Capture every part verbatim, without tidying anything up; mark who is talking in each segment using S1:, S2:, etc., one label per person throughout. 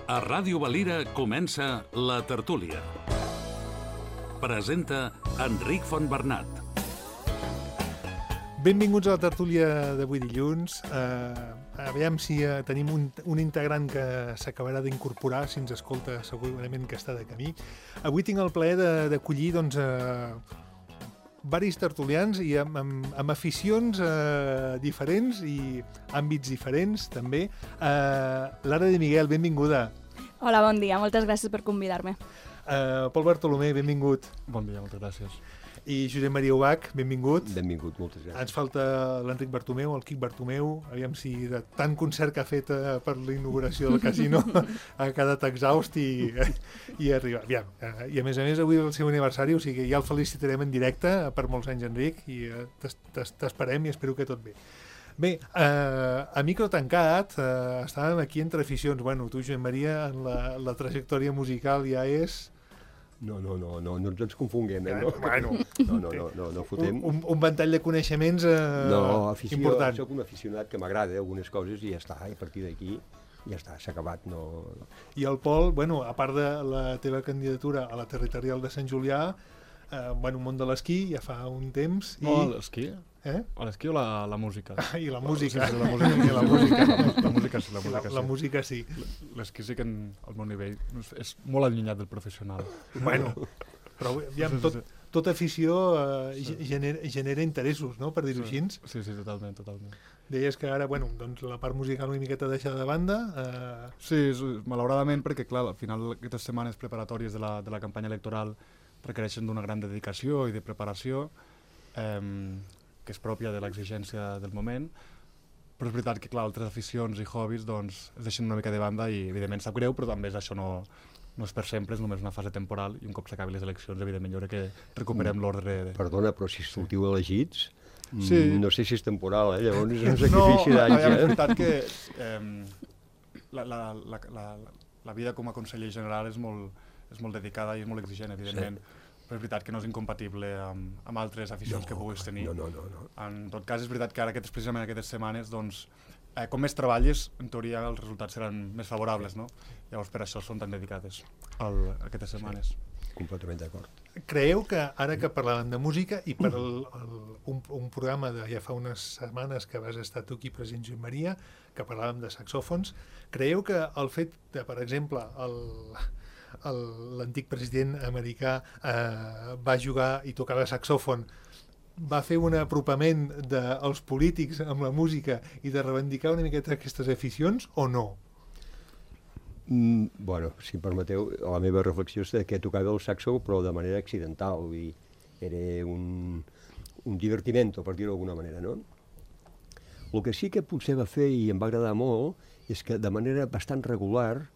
S1: A Ràdio Valira comença La Tertúlia. Presenta Enric Fontbernat.
S2: Benvinguts a la tertúlia d'avui dilluns. Uh, aviam si uh, tenim un, un integrant que s'acabarà d'incorporar, si ens escolta segurament que està de camí. Avui tinc el plaer d'acollir doncs, uh, varis tertulians i amb, amb, amb aficions uh, diferents i àmbits diferents també. Uh, Lara de Miguel, benvinguda.
S3: Hola, bon dia, moltes gràcies per convidar-me.
S2: Uh, Pol Bartolomé, benvingut.
S4: Bon dia, moltes gràcies.
S2: I Josep Maria Ubach, benvingut.
S5: Benvingut, moltes gràcies.
S2: Ens falta l'Enric Bartomeu, el Quic Bartomeu. Aviam si de tant concert que ha fet eh, per la inauguració del casino ha quedat exhaust i, i arriba. Aviam. Eh, I a més a més, avui és el seu aniversari, o sigui que ja el felicitarem en directe per molts anys, Enric, i eh, t'esperem i espero que tot bé. Bé, eh, a micro tancat, eh, estàvem aquí entre aficions. Bueno, tu, Josep Maria, en la, la trajectòria musical ja és...
S5: No, no, no, no, no ens confonguem, eh? No,
S2: bueno,
S5: no, no, no, no, no fotem.
S2: Un, un, un ventall de coneixements eh,
S5: no, afició,
S2: important.
S5: Soc un aficionat que m'agrada algunes coses i ja està, i a partir d'aquí ja està, s'ha acabat. No...
S2: I el Pol, bueno, a part de la teva candidatura a la territorial de Sant Julià, eh, bueno, un món de l'esquí ja fa un temps. I...
S4: No, l'esquí?
S2: Eh?
S4: O l'esquí o la, la música?
S2: Ah, I la música.
S4: Sí, sí, la música,
S2: I la música.
S4: La música sí, la música
S2: la,
S4: sí.
S2: La música sí.
S4: L'esquí sí que en, el meu nivell és, és molt allunyat del professional.
S2: Bueno, però aviam, tot, tota afició eh, genera, genera interessos, no?, per dir-ho
S4: sí.
S2: així.
S4: Sí, sí, totalment, totalment.
S2: Deies que ara, bueno, doncs la part musical una miqueta deixada de banda. Eh...
S4: Sí, és, malauradament, perquè clar, al final aquestes setmanes preparatòries de la, de la campanya electoral requereixen d'una gran dedicació i de preparació, eh, que és pròpia de l'exigència del moment, però és veritat que clar, altres aficions i hobbies doncs, es deixen una mica de banda i evidentment sap greu, però també és això no... no és per sempre, és només una fase temporal i un cop s'acabi les eleccions, evidentment, jo crec que recuperem l'ordre de...
S5: Perdona, però si sortiu elegits,
S4: sí.
S5: no sé si és temporal, eh? Llavors és un sacrifici no, d'anys.
S4: No, és veritat que eh, la, la, la, la, la vida com a conseller general és molt, és molt dedicada i és molt exigent, evidentment, sí. Però és veritat que no és incompatible amb, amb altres aficions no, que puguis tenir.
S5: No, no, no, no.
S4: En tot cas, és veritat que ara, aquestes, precisament aquestes setmanes, doncs, Eh, com més treballes, en teoria els resultats seran més favorables, no? Llavors per això són tan dedicades al, aquestes setmanes.
S5: Sí, completament d'acord.
S2: Creieu que ara que parlàvem de música i per el, el, un, un programa de ja fa unes setmanes que vas estar tu aquí present, Josep Maria, que parlàvem de saxòfons, creieu que el fet de, per exemple, l'antic president americà eh, va jugar i tocava saxòfon, va fer un apropament dels polítics amb la música i de reivindicar una miqueta aquestes aficions, o no?
S5: Mm, bueno, si em permeteu, la meva reflexió és que tocava el saxo, però de manera accidental, vull dir, era un, un divertimento, per dir-ho d'alguna manera, no? El que sí que potser va fer, i em va agradar molt, és que de manera bastant regular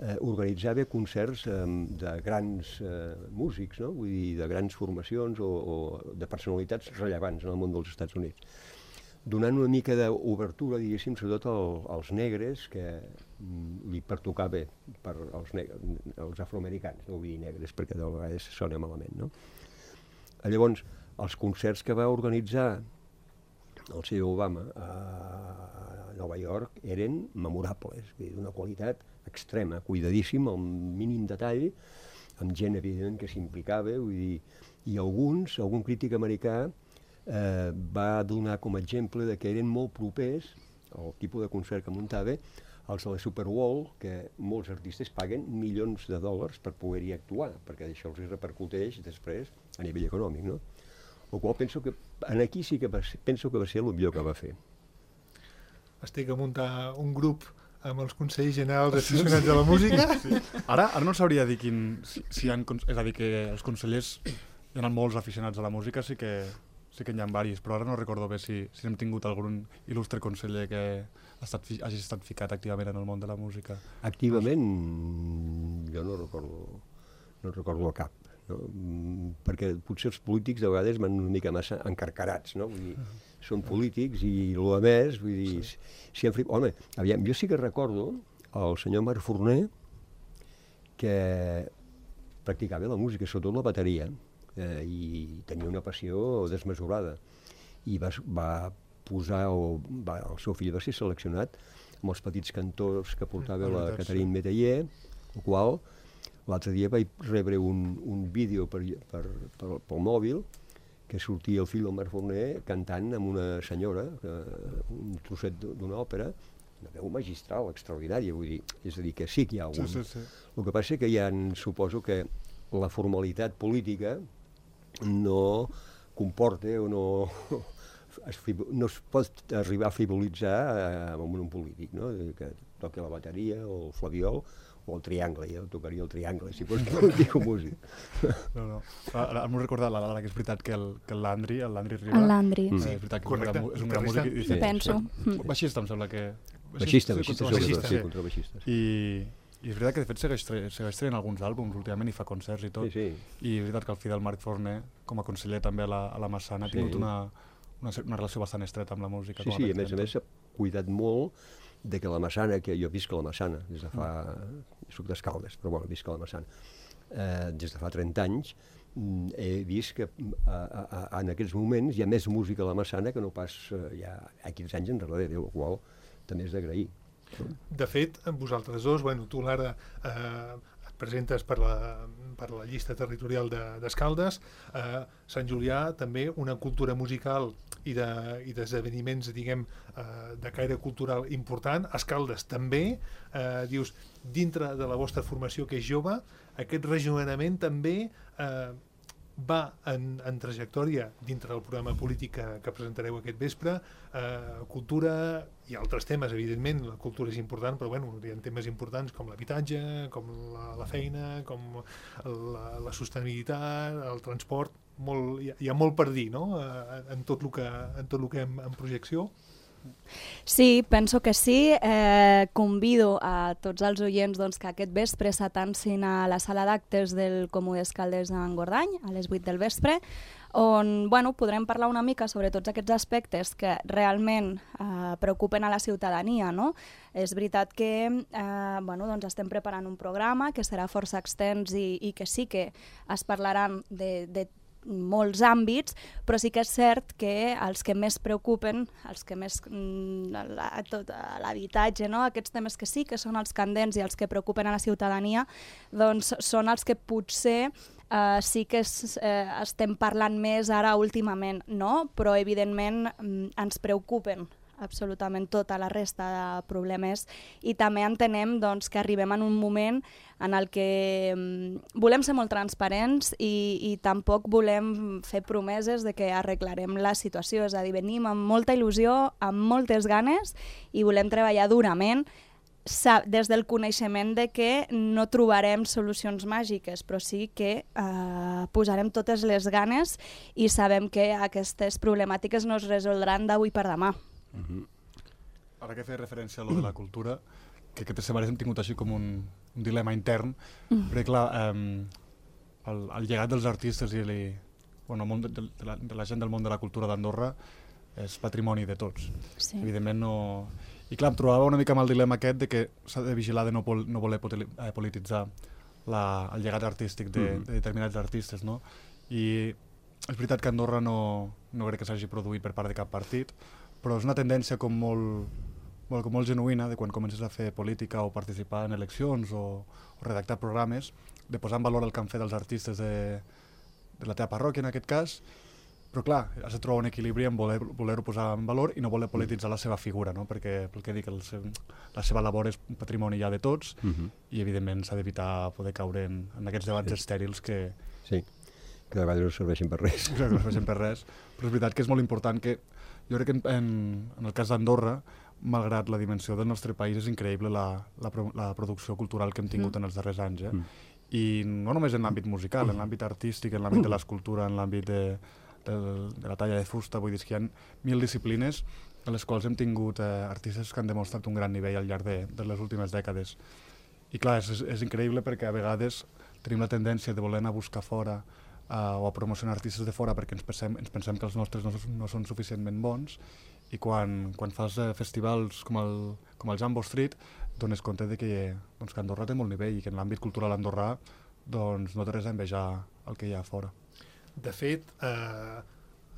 S5: Eh, organitzava concerts eh, de grans eh, músics, no? Vull dir, de grans formacions o, o de personalitats rellevants en el món dels Estats Units, donant una mica d'obertura, diguéssim, sobretot al, als negres, que mm, li pertocava per als, als afroamericans, no vull dir negres, perquè de vegades sona malament, no? Llavors, els concerts que va organitzar el senyor Obama a Nova York eren memorables, d'una qualitat extrema, cuidadíssim, al mínim detall, amb gent, evident, que s'implicava, vull dir, i alguns, algun crític americà eh, va donar com a exemple de que eren molt propers, el tipus de concert que muntava, els de la Super Bowl, que molts artistes paguen milions de dòlars per poder-hi actuar, perquè això els repercuteix després a nivell econòmic, no? El qual penso que, en aquí sí que va ser, penso que va ser el millor que va fer.
S2: Estic a muntar un grup amb els consells generals aficionats a la música.
S4: Sí. Ara, ara no sabria dir quin... Si, si han, és a dir, que els consellers hi ha molts aficionats a la música, sí que, sí que n'hi ha diversos, però ara no recordo bé si, si hem tingut algun il·lustre conseller que ha estat, hagi estat ficat activament en el món de la música.
S5: Activament, jo no recordo, no recordo cap. No? Perquè potser els polítics de vegades van una mica massa encarcarats, no? Vull dir, són polítics i el més, vull dir, sí. Si han... Home, aviam, jo sí que recordo el senyor Marc Forner que practicava la música, sobretot la bateria, eh, i tenia una passió desmesurada i va, va posar, o va, el seu fill va ser seleccionat amb els petits cantors que portava
S4: Mm,
S5: la
S4: veritat,
S5: Catherine Métayer, el qual l'altre dia vaig rebre un, un vídeo per, per, per, pel mòbil que sortia el fill del Marc Forner cantant amb una senyora, eh, un trosset d'una òpera, una veu magistral, extraordinària, vull dir, és a dir, que sí que hi ha un...
S4: Sí, sí, sí.
S5: El que passa que hi ha, suposo que la formalitat política no comporta o no... Es, no es pot arribar a frivolitzar eh, amb un polític, no? Que toqui la bateria o el flabiol o el triangle, jo tocaria el triangle, si fos polític o músic.
S4: No, no. Ara m'ho recordat, l'Ara, que és veritat que el, que el Landry, el Landry Riba...
S3: El Landry.
S4: Eh,
S5: Mm.
S4: és veritat que
S2: Correcte.
S4: és un gran, és un gran músic. I,
S5: Sí.
S3: Penso.
S4: Sí. Baixista, em sembla que...
S5: Baixista,
S4: sí,
S5: baixista,
S4: contrabaixista,
S5: sobretot, sí,
S4: sí.
S5: contrabaixista.
S4: I, I és veritat que de fet segueix, tra segueix traient alguns àlbums últimament i fa concerts i tot.
S5: Sí, sí.
S4: I és veritat que el fill del Marc Forner, com a conseller també a la, a la Massana, ha
S5: Sí.
S4: tingut una, una, una relació bastant estreta amb la música.
S5: Sí,
S4: com
S5: sí, a
S4: Pep
S5: més a
S4: Cento.
S5: més s'ha cuidat molt de que la Massana, que jo visc a la Massana des de fa... soc d'Escaldes, però bueno, visc a la Massana. Eh, des de fa trenta anys mm, he vist que a, a, a, en aquests moments hi ha més música a la Massana que no pas eh, ja ha quinze anys enrere, el qual també és d'agrair.
S2: De fet, vosaltres dos, bueno, tu Lara eh, et presentes per la, per la llista territorial d'Escaldes, de, eh, Sant Julià també una cultura musical i d'esdeveniments, de, diguem, eh, de caire cultural important. Escaldes també, eh, dius, dintre de la vostra formació que és jove, aquest rejovenament també eh, va en, en trajectòria dintre del programa polític que, que presentareu aquest vespre, eh, cultura i altres temes, evidentment, la cultura és important, però bueno, hi ha temes importants com l'habitatge, com la, la feina, com la, la sostenibilitat, el transport, molt, hi, ha, hi ha molt per dir, no?, eh, en tot el que, en tot el que hem en projecció.
S3: Sí, penso que sí. Eh, convido a tots els oients doncs, que aquest vespre s'atancin a la sala d'actes del Comú d'Escaldes en Gordany, a les vuit del vespre, on bueno, podrem parlar una mica sobre tots aquests aspectes que realment eh, preocupen a la ciutadania. No? És veritat que eh, bueno, doncs estem preparant un programa que serà força extens i, i que sí que es parlaran de, de molts àmbits, però sí que és cert que els que més preocupen, els que més l'habitatge, no? Aquests temes que sí que són els candents i els que preocupen a la ciutadania, doncs són els que potser eh, sí que es, eh, estem parlant més ara últimament, no? Però evidentment ens preocupen absolutament tota la resta de problemes i també entenem doncs, que arribem en un moment en el que um, volem ser molt transparents i, i tampoc volem fer promeses de que arreglarem la situació, és a dir, venim amb molta il·lusió, amb moltes ganes i volem treballar durament des del coneixement de que no trobarem solucions màgiques, però sí que eh, posarem totes les ganes i sabem que aquestes problemàtiques no es resoldran d'avui per demà.
S5: Uh-huh.
S4: Ara que feia referència a lo de la cultura, que aquestes setmanes hem tingut així com un, un dilema intern, mm. perquè clar, eh, el, el llegat dels artistes i li, bueno, el món de, de, la, de la gent del món de la cultura d'Andorra és patrimoni de tots.
S3: Sí.
S4: Evidentment no... I clar, em trobava una mica amb el dilema aquest de que s'ha de vigilar de no, pol, no voler eh, polititzar la, el llegat artístic de, mm. de determinats artistes, no? I és veritat que Andorra no, no crec que s'hagi produït per part de cap partit, però és una tendència com molt, molt, com molt genuïna de quan comences a fer política o participar en eleccions o, o redactar programes, de posar en valor el que han fet els artistes de, de la teva parròquia, en aquest cas, però clar, has de trobar un equilibri en voler-ho voler posar en valor i no voler polititzar la seva figura, no? Perquè, pel que dic, el seu, la seva labor és un patrimoni ja de tots uh-huh. i evidentment s'ha d'evitar poder caure en, en aquests debats sí. estèrils que...
S5: Sí, que de vegades no serveixen per res.
S4: Que no serveixen per res, però és veritat que és molt important que jo crec que en, en, en el cas d'Andorra, malgrat la dimensió del nostre país, és increïble la, la, la producció cultural que hem tingut mm. en els darrers anys. Eh? Mm. I no només en l'àmbit musical, en l'àmbit artístic, en l'àmbit de l'escultura, en l'àmbit de, de, de la talla de fusta, vull dir que hi ha mil disciplines en les quals hem tingut eh, artistes que han demostrat un gran nivell al llarg de, de les últimes dècades. I clar, és, és increïble perquè a vegades tenim la tendència de voler anar a buscar fora Uh, o a promocionar artistes de fora perquè ens pensem, ens pensem que els nostres no, no són suficientment bons i quan, quan fas uh, festivals com el, com el Jambo Street dones compte de que, doncs, que Andorra té molt nivell i que en l'àmbit cultural andorrà doncs, no té res a envejar el que hi ha a fora.
S2: De fet, eh,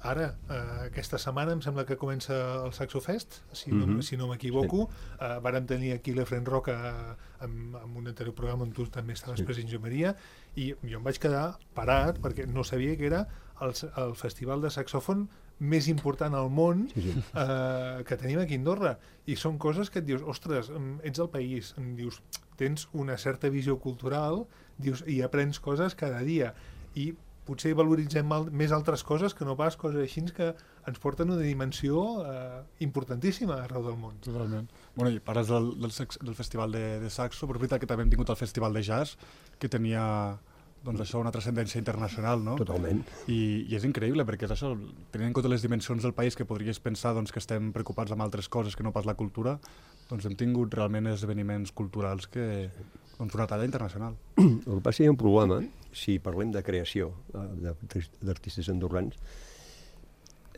S2: ara, uh, aquesta setmana em sembla que comença el Saxo Fest, si no,
S5: Mhm.
S2: si no m'equivoco. Sí. Uh, vàrem tenir aquí l'Efren Roca uh, amb, amb un anterior programa on tu també estaves
S5: Sí.
S2: present, Jo Maria, i jo em vaig quedar parat perquè no sabia que era el, el festival de saxòfon més important al món
S5: Sí, sí.
S2: uh, que tenim aquí a Andorra. I són coses que et dius, ostres, em, ets al país, em dius, tens una certa visió cultural, dius, i aprens coses cada dia. I potser valoritzem al, més altres coses que no pas coses així que ens porten una dimensió eh, importantíssima arreu del món.
S4: Totalment. Bueno, i parles del, del, sex, del festival de, de saxo, però és veritat que també hem tingut el festival de jazz, que tenia doncs això, una transcendència internacional, no?
S5: Totalment.
S4: I, I és increïble, perquè és això, tenint en compte les dimensions del país, que podries pensar doncs, que estem preocupats amb altres coses que no pas la cultura, doncs hem tingut realment esdeveniments culturals que, doncs, una talla internacional.
S5: El que passa és que hi ha un problema, si parlem de creació eh, d'artistes andorrans,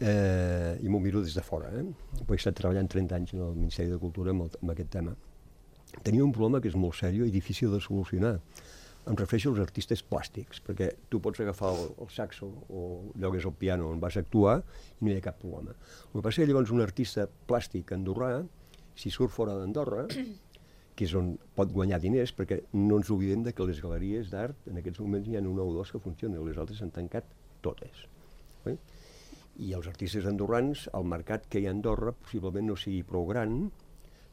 S5: eh, i m'ho miro des de fora, eh? He estat treballant trenta anys en el Ministeri de Cultura amb, el, amb aquest tema. Tenia un problema que és molt seriós i difícil de solucionar. Em refereixo als artistes plàstics, perquè tu pots agafar el, el saxo o llogues el piano on vas actuar i no hi ha cap problema. El que passa és que llavors un artista plàstic andorrà, si surt fora d'Andorra, que és on pot guanyar diners, perquè no ens oblidem de que les galeries d'art en aquests moments hi ha una o dues que funcionen, les altres s'han tancat totes. Eh? I els artistes andorrans, el mercat que hi ha a Andorra possiblement no sigui prou gran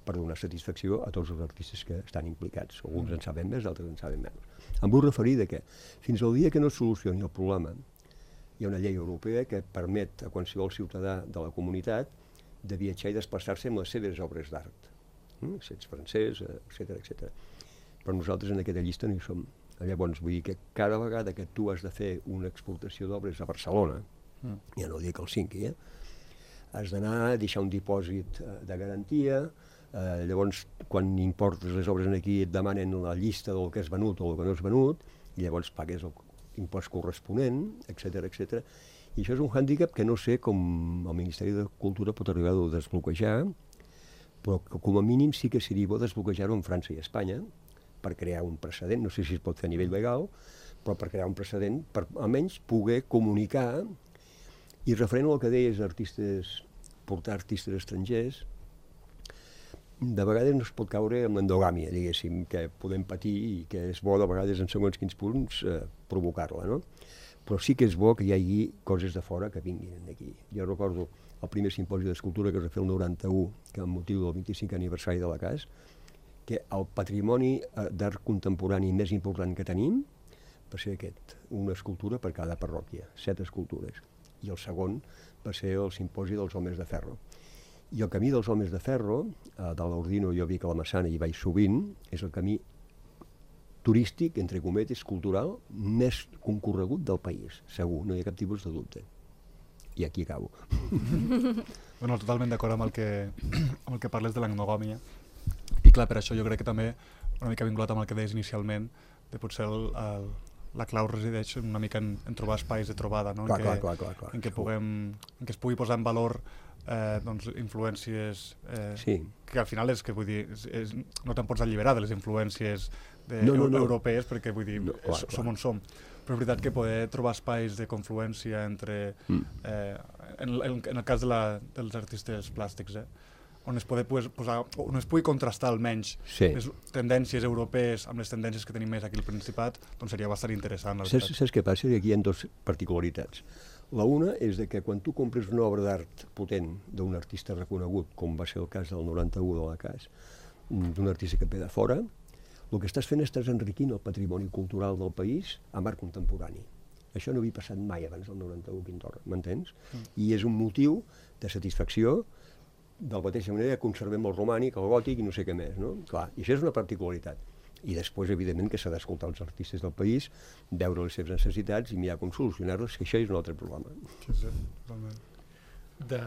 S5: per donar satisfacció a tots els artistes que estan implicats. Alguns en saben més, altres en saben menys. Em vull referir de que fins al dia que no es solucioni el problema hi ha una llei europea que permet a qualsevol ciutadà de la comunitat de viatjar i desplaçar-se amb les seves obres d'art. Mm? Si ets francès, etcètera, etcètera. Però nosaltres en aquesta llista no hi som. Llavors, vull dir que cada vegada que tu has de fer una exportació d'obres a Barcelona, mm. ja no dic el cinqui, eh? has d'anar a deixar un dipòsit de garantia. Uh, llavors, quan importes les obres aquí et demanen la llista del que és venut o el que no és venut, i llavors pagues l'impost corresponent, etcètera, etcètera. I això és un hàndicap que no sé com el Ministeri de Cultura pot arribar a desbloquejar, però que com a mínim sí que seria bo desbloquejar-ho en França i Espanya per crear un precedent, no sé si es pot fer a nivell legal, però per crear un precedent, per almenys poder comunicar. I referent al que deies, artistes, portar artistes estrangers, de vegades no es pot caure en l'endogàmia, diguéssim, que podem patir i que és bo de vegades en segons quins punts eh, provocar-la, no? Però sí que és bo que hi hagi coses de fora que vinguin aquí. Jo recordo el primer simposi d'escultura que es va fer el noranta-u, que amb motiu del vint-i-cinquè aniversari de la C A S, que el patrimoni d'art contemporani més important que tenim va ser aquest, una escultura per cada parròquia, set escultures. I el segon va ser el simposi dels homes de ferro. I el camí dels homes de ferro, eh, de l'Ordino jo vi que a la Massana hi vaig sovint, és el camí turístic, entre cometes, cultural, més concorregut del país, segur, no hi ha cap tipus de dubte. I aquí acabo.
S4: Bueno, totalment d'acord amb, el que, amb el que parles de l'endogàmia. I clar, per això jo crec que també, una mica vinculat amb el que deies inicialment, de potser el, el, la clau resideix una mica en, en trobar espais de trobada, no?
S5: Clar,
S4: en, què,
S5: clar, clar, clar,
S4: en què puguem, en què es pugui posar en valor eh, doncs, influències eh,
S5: Sí.
S4: que al final és que vull dir, és, és, no te'n pots alliberar de les influències de,
S5: No, no, no.
S4: europees, perquè vull dir,
S5: No, clar,
S4: som
S5: clar.
S4: on som. Però és veritat que poder trobar espais de confluència entre,
S5: Mm.
S4: eh, en, en, en el cas de la, dels artistes plàstics, eh, on es, poder posar, on es pugui contrastar almenys
S5: Sí.
S4: les tendències europees amb les tendències que tenim més aquí al Principat, doncs seria bastant interessant. La
S5: Saps,
S4: veritat.
S5: saps què passa? Aquí hi ha dues particularitats. La una és de que quan tu compres una obra d'art potent d'un artista reconegut, com va ser el cas del noranta-u de la C A S, d'un artista que ve de fora, el que estàs fent estàs enriquint el patrimoni cultural del país amb art contemporani. Això no havia passat mai abans del noranta-u aquí a Andorra, m'entens? Mm. I és un motiu de satisfacció, de la mateixa manera que conservem el romànic, el gòtic i no sé què més, no? Clar, i això és una particularitat. I després, evidentment, que s'ha d'escoltar els artistes del país, veure les seves necessitats i mirar com solucionar-les, que això és un altre problema.
S4: Sí, sí, totalment.
S2: De,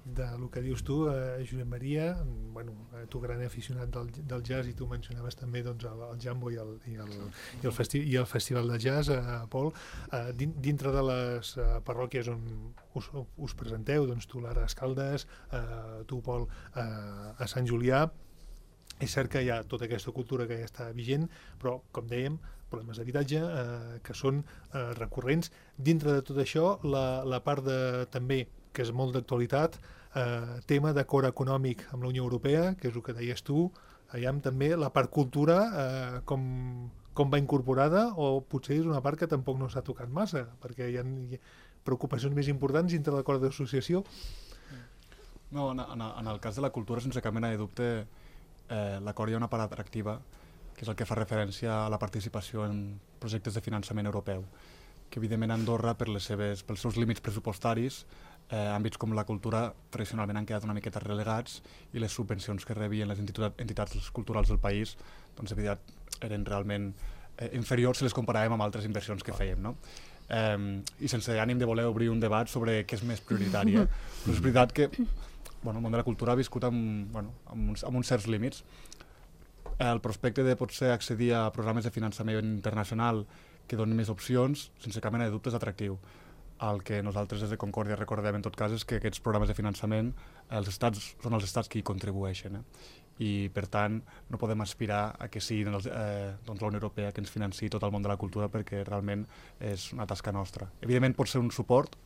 S2: de lo que dius tu, eh, Josep Maria, bueno, eh, tu gran aficionat del, del jazz, i tu mencionaves també doncs, el, el Jambo i el, i el, i el, festi i el Festival de Jazz, eh, Pol, eh, din, dintre de les eh, parròquies on us, us presenteu, doncs tu, Lara, a Escaldes, eh, tu, Pol, eh, a Sant Julià, És cert que hi ha tota aquesta cultura que ja està vigent, però, com dèiem, problemes d'habitatge eh, que són eh, recurrents. Dintre de tot això, la, la part de, també, que és molt d'actualitat, eh, tema d'acord econòmic amb la Unió Europea, que és el que deies tu, allà també la part cultura, eh, com, com va incorporada, o potser és una part que tampoc no s'ha tocat massa, perquè hi ha, hi ha preocupacions més importants dintre l'acord d'associació.
S4: No, en, en, en el cas de la cultura, sense cap mena de dubte, eh, l'acord hi ha una part atractiva, que és el que fa referència a la participació en projectes de finançament europeu, que evidentment Andorra, per les seves, pels seus límits pressupostaris, eh, àmbits com la cultura tradicionalment han quedat una miqueta relegats i les subvencions que rebien les entitats, entitats culturals del país doncs, evident, eren realment eh, inferiors si les comparàvem amb altres inversions que fèiem, no? Eh, I sense ànim de voler obrir un debat sobre què és més prioritari, eh? Però és veritat que bueno, el món de la cultura ha viscut amb, bueno, amb, uns, amb uns certs límits. El prospecte de potser accedir a programes de finançament internacional que donin més opcions, sense cap mena de dubte, és atractiu. El que nosaltres des de Concòrdia recordem en tot cas és que aquests programes de finançament els estats, són els estats qui hi contribueixen. Eh? I per tant no podem aspirar a que sigui els, eh, doncs la Unió Europea que ens financi tot el món de la cultura perquè realment és una tasca nostra. Evidentment pot ser un suport,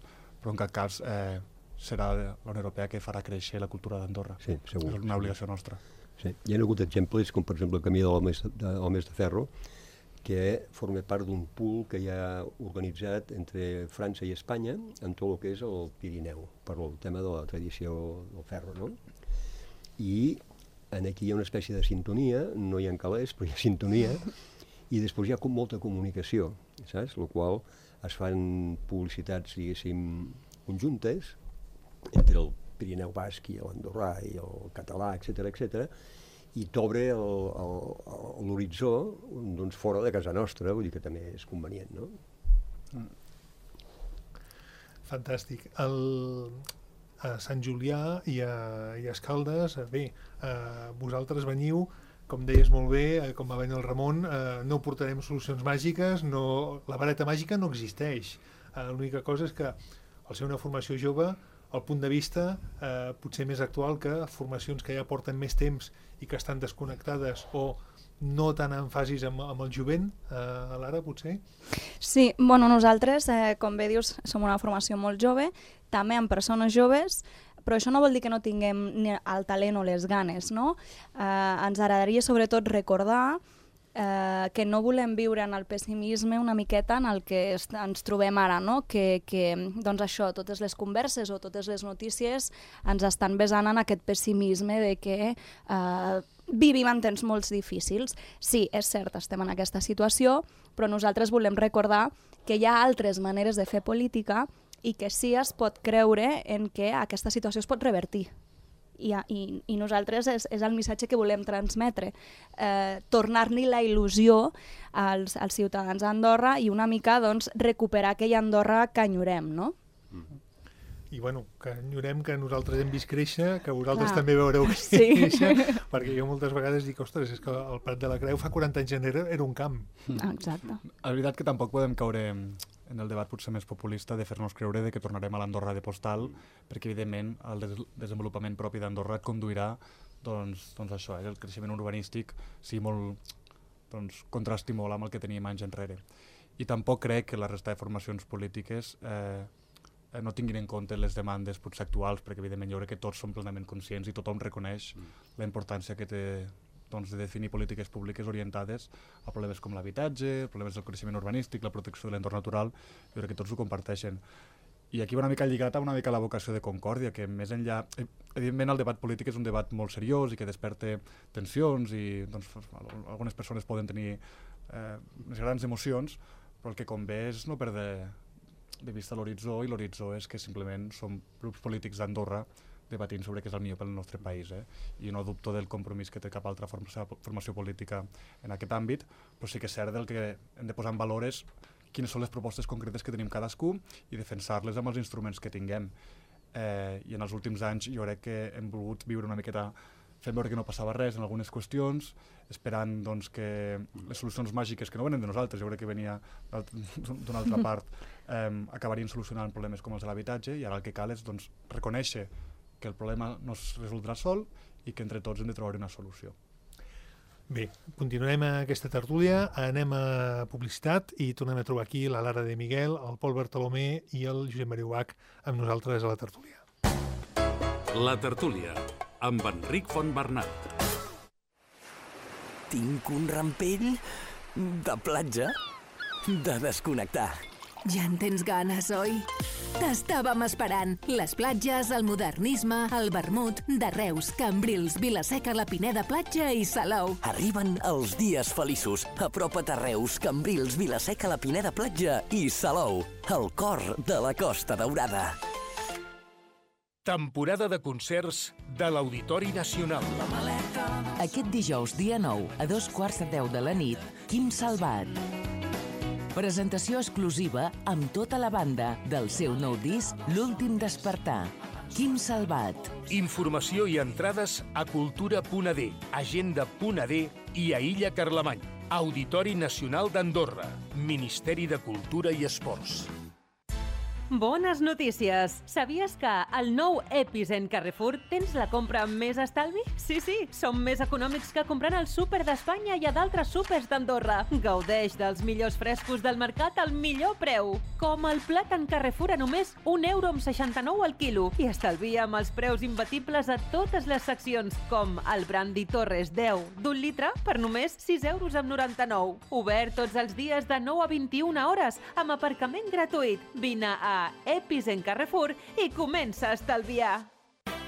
S4: però en cap cas eh, serà la Unió Europea que farà créixer la cultura d'Andorra.
S5: Sí, segur.
S4: És una obligació nostra.
S5: Sí. Hi ha hagut exemples, com per exemple el Camí de l'Homes de, de, de Ferro, que forma part d'un pool que hi ha organitzat entre França i Espanya en tot el que és el Pirineu, per el tema de la tradició del ferro, no? I en aquí hi ha una espècie de sintonia, no hi ha calés, però hi ha sintonia, i després hi ha com molta comunicació, saps? El qual es fan publicitats, diguéssim, conjuntes, entre el Pirineu basc i l'andorrà i el català, etcètera, etcètera, i t'obre l'horitzó doncs, fora de casa nostra, vull dir que també és convenient, no?
S2: Mm. Fantàstic. El, a Sant Julià i a, i a Escaldes, bé, eh, vosaltres veniu, com deies molt bé, eh, com va venir el Ramon, eh, no portarem solucions màgiques, no, la vareta màgica no existeix. Eh, l'única cosa és que al ser una formació jove, el punt de vista eh, potser més actual que formacions que ja porten més temps i que estan desconnectades o no tan en fasis amb, amb el jovent, eh, Lara, potser?
S3: Sí, bueno, nosaltres, eh, com bé dius, som una formació molt jove, també amb persones joves, però això no vol dir que no tinguem ni el talent o les ganes, no? Eh, ens agradaria sobretot recordar Eh, que no volem viure en el pessimisme una miqueta en el que est ens trobem ara, no? que, que doncs això, totes les converses o totes les notícies ens estan besant en aquest pessimisme de que eh, vivim en temps molt difícils. Sí, és cert, estem en aquesta situació, però nosaltres volem recordar que hi ha altres maneres de fer política i que sí es pot creure en que aquesta situació es pot revertir. I, i, i nosaltres és, és el missatge que volem transmetre, eh, tornar-li la il·lusió als, als ciutadans d'Andorra i una mica doncs, recuperar aquella Andorra que enyorem, no?
S2: Mm. I bueno, que enyorem que nosaltres hem vist créixer, que vosaltres
S3: Clar.
S2: també veureu
S3: Sí.
S2: créixer, perquè jo moltes vegades dic, ostres, és que el Prat de la Creu fa quaranta anys enrere era un camp.
S3: Exacte.
S4: La veritat que tampoc podem caure en el debat potser més populista de fer-nos creure de que tornarem a l'Andorra de postal, perquè evidentment el des desenvolupament propi d'Andorra et conduirà doncs, doncs això, eh, el creixement urbanístic sigui molt, doncs, contrasti molt amb el que teníem anys enrere. I tampoc crec que la resta de formacions polítiques eh, no tinguin en compte les demandes potser actuals, perquè evidentment jo crec que tots som plenament conscients i tothom reconeix mm. la importància que té doncs, de definir polítiques públiques orientades a problemes com l'habitatge, problemes del creixement urbanístic, la protecció de l'entorn natural, jo crec que tots ho comparteixen. I aquí va una mica lligat a una mica la vocació de Concòrdia, que més enllà... Evidentment el debat polític és un debat molt seriós i que desperta tensions i doncs, algunes persones poden tenir eh, unes grans emocions, però el que convé és no perdre de vista l'horitzó, i l'horitzó és que simplement som grups polítics d'Andorra debatint sobre què és el millor pel nostre país. Eh? I no dubto del compromís que té cap altra formació, formació política en aquest àmbit, però sí que és cert del que hem de posar en valor és quines són les propostes concretes que tenim cadascú i defensar-les amb els instruments que tinguem. Eh, I en els últims anys jo crec que hem volgut viure una miqueta fent veure que no passava res en algunes qüestions, esperant doncs, que les solucions màgiques, que no venen de nosaltres, jo crec que venia d'una altra part, eh, acabarien solucionant problemes com els de l'habitatge, i ara el que cal és doncs, reconèixer que el problema no es resoldrà sol i que entre tots hem de trobar una solució.
S2: Bé, continuem aquesta tertúlia, anem a publicitat i tornem a trobar aquí la Lara de Miguel, el Pol Bartolomé i el Josep Maria Ubach amb nosaltres a la tertúlia.
S1: La tertúlia, amb Enric Fontbernat.
S6: Tinc un rampell de platja, de desconnectar.
S7: Ja en tens ganes, oi? T'estàvem esperant. Les platges, el modernisme, el vermut, de Reus, Cambrils, Vila-seca, la Pineda Platja i Salou.
S6: Arriben els dies feliços. Apropa't a Reus, Cambrils, Vila-seca, la Pineda Platja i Salou, el cor de la Costa Daurada.
S8: Temporada de concerts de l'Auditori Nacional.
S9: Aquest dijous, dia nou, a dos quarts de deu de la nit, Quim Salvat. Presentació exclusiva amb tota la banda del seu nou disc L'últim despertar. Quim Salvat.
S8: Informació i entrades a cultura punt a d, agenda punt a d i a Illa Carlemany. Auditori Nacional d'Andorra. Ministeri de Cultura i Esports.
S10: Bones notícies! Sabies que al nou Epicent Carrefour tens la compra amb més estalvi? Sí, sí, som més econòmics que comprant al súper d'Espanya i a d'altres súpers d'Andorra. Gaudeix dels millors frescos del mercat al millor preu. Com el plàtan Carrefour a només un euro amb seixanta-nou al quilo. I estalvia amb els preus imbatibles a totes les seccions, com el Brandy Torres deu d'un litre per només sis euros amb noranta-nou. Obert tots els dies de nou a vint-i-una hores, amb aparcament gratuït. Vine a Epicent Carrefour i comença a estalviar.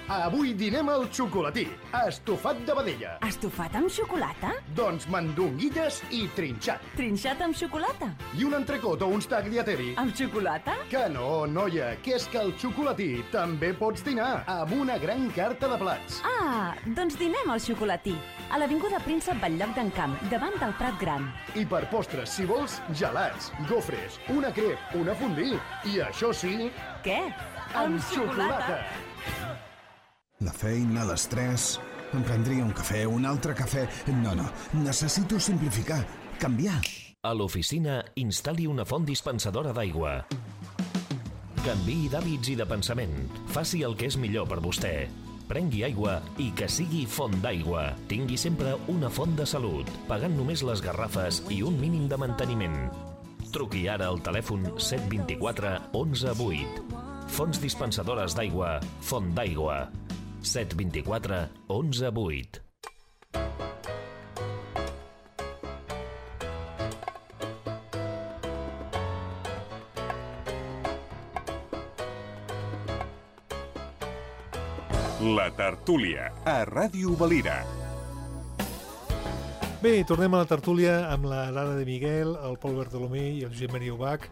S11: Avui dinem al xocolatí, estofat de vedella.
S7: Estofat amb xocolata?
S11: Doncs mandonguilles i trinxat.
S7: Trinxat amb xocolata?
S11: I un entrecot o uns tagliatelle.
S7: Amb xocolata?
S11: Que no, noia, que és que al xocolatí també pots dinar amb una gran carta de plats.
S7: Ah, doncs dinem al xocolatí, a l'Avinguda Príncep Batllog d'en Camp, davant del Prat Gran.
S11: I per postres, si vols, gelats, gofres, una crep, una fondue. I això sí...
S7: Què?
S11: Amb xocolata!
S12: La feina, l'estrès... Em prendria un cafè, un altre cafè... No, no, necessito simplificar, canviar.
S13: A l'oficina, instal·li una font dispensadora d'aigua. Canviï d'hàbits i de pensament. Faci el que és millor per vostè. Prengui aigua i que sigui font d'aigua. Tingui sempre una font de salut, pagant només les garrafes i un mínim de manteniment. Truqui ara al telèfon set dos quatre onze vuit. Fonts dispensadores d'aigua, Font d'aigua. set dos quatre onze vuit.
S14: La tertúlia, a Ràdio Valira.
S2: Bé, tornem a la tertúlia amb la Lara de Miguel, el Pol Bartolomé i el Josep Maria Ubach.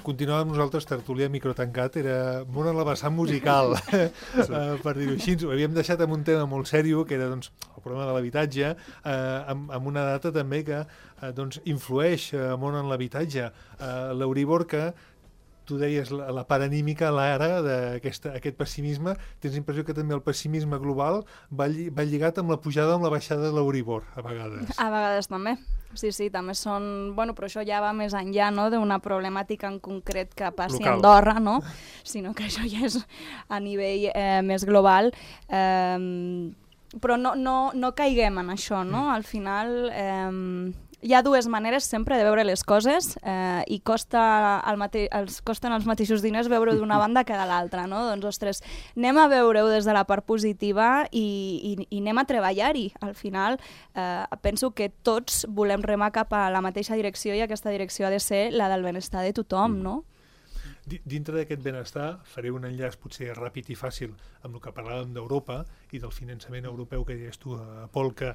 S2: Continuàvem nosaltres, tertúlia microtancat, era molt en la vessant musical, sí. uh, per dir-ho així. Ho havíem deixat amb un tema molt sèrio, que era doncs, el problema de l'habitatge, uh, amb, amb una data també que uh, doncs, influeix uh, molt en l'habitatge. Uh, L'Euribor, que tu deies la, la part anímica, l'ara d'aquest pessimisme, tens l'impressió que també el pessimisme global va, lli, va lligat amb la pujada amb la baixada de l'Euribor, a vegades.
S3: A vegades també. Sí, sí, també són... Bueno, però això ja va més enllà, no?, d'una problemàtica en concret que passi a Andorra, no?, sinó que això ja és a nivell eh, més global. Eh, però no, no, no caiguem en això, no? Al final... Eh, hi ha dues maneres sempre de veure les coses eh, i costa el mate els costen els mateixos diners veure d'una banda que de l'altra, no? Doncs, ostres, anem a veure-ho des de la part positiva i, i, i anem a treballar-hi. Al final, eh, penso que tots volem remar cap a la mateixa direcció i aquesta direcció ha de ser la del benestar de tothom, no?
S2: Dintre d'aquest benestar, faré un enllaç potser ràpid i fàcil amb el que parlàvem d'Europa i del finançament europeu que deies tu, Pol, que